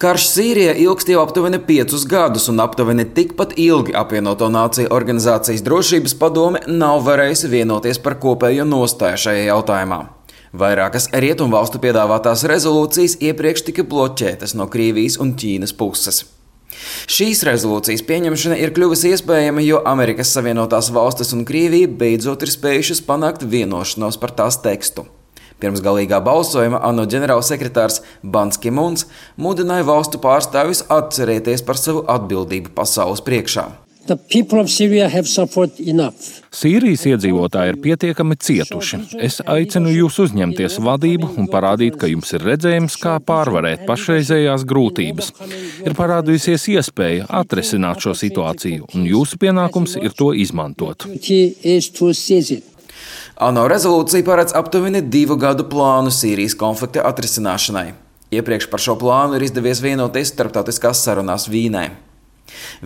Karš Sīrijā ilgst jau aptuveni 5 gadus, un aptuveni tikpat ilgi Apvienoto Nāciju organizācijas drošības padome nav varējusi vienoties par kopējo nostāju šajā jautājumā. Vairākas rietumvalstu piedāvātās rezolūcijas iepriekš tika bloķētas no Krievijas un Ķīnas puses. Šīs rezolūcijas pieņemšana ir kļuvusi iespējama, jo Amerikas Savienotās Valstis un Krievija beidzot ir spējušas panākt vienošanos par tās tekstu. Pirms galīgā balsojuma ANO ģenerālsekretārs Bans Ki-muns mudināja valstu pārstāvjus atcerēties par savu atbildību pasaules priekšā. Sīrijas iedzīvotāji ir pietiekami cietuši. Es aicinu jūs uzņemties vadību un parādīt, ka jums ir redzējums, kā pārvarēt pašreizējās grūtības. Ir parādījusies iespēja atrisināt šo situāciju, un jūsu pienākums ir to izmantot. ANO rezolūcija paredz aptuveni 2 gadu plānu Sīrijas konflikta atrisināšanai. Iepriekš par šo plānu ir izdevies vienoties starptautiskās sarunās Vīnē.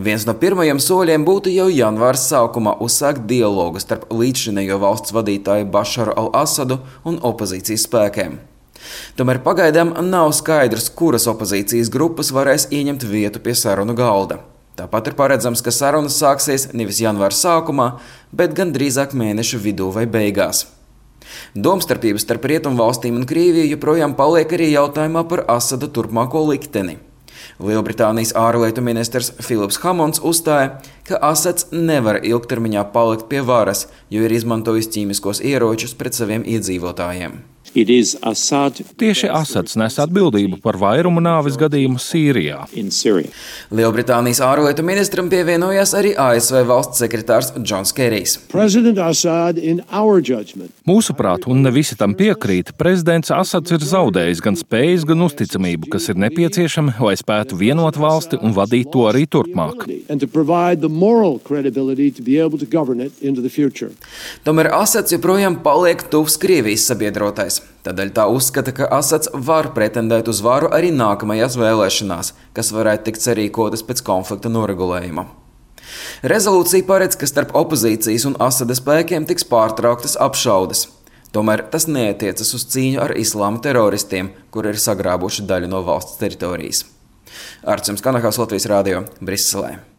Viens no pirmajiem soļiem būtu jau janvāra sākumā uzsākt dialogu starp līdzšinējo valsts vadītāju Bašaru al-Asadu un opozīcijas spēkiem. Tomēr pagaidām nav skaidrs, kuras opozīcijas grupas varēs ieņemt vietu pie sarunu galda. Tāpat ir paredzams, ka sarunas sāksies nevis janvāra sākumā, bet gan drīzāk mēneša vidū vai beigās. Domstarpības starp Rietumvalstīm un Krieviju joprojām paliek arī jautājumā par Asada turpmāko likteni. Lielbritānijas ārlietu ministrs Filips Hamons uzstāja, ka Asads nevar ilgtermiņā palikt pie varas, jo ir izmantojis ķīmiskos ieročus pret saviem iedzīvotājiem. Tieši Asads nes atbildību par vairumu nāves gadījumu Sīrijā. Lielbritānijas ārlietu ministram pievienojās arī ASV valsts sekretārs Džons Kerijs. Mūsuprāt, un ne visi tam piekrīt, prezidents Asads ir zaudējis gan spējas, gan uzticamību, kas ir nepieciešami, lai spētu vienot valsti un vadīt to arī turpmāk. Tomēr Asads joprojām paliek tuvs Krievijas sabiedrotais. Tādēļ tā uzskata, ka Asads var pretendēt uz varu arī nākamajās vēlēšanās, kas varētu tikt sarīkotas pēc konflikta noregulējuma. Rezolūcija paredz, ka starp opozīcijas un Asada spēkiem tiks pārtrauktas apšaudes. Tomēr tas neatiecas uz cīņu ar islāma teroristiem, kuri ir sagrābuši daļu no valsts teritorijas. Arts Kanahāls, Latvijas radio, Briselē.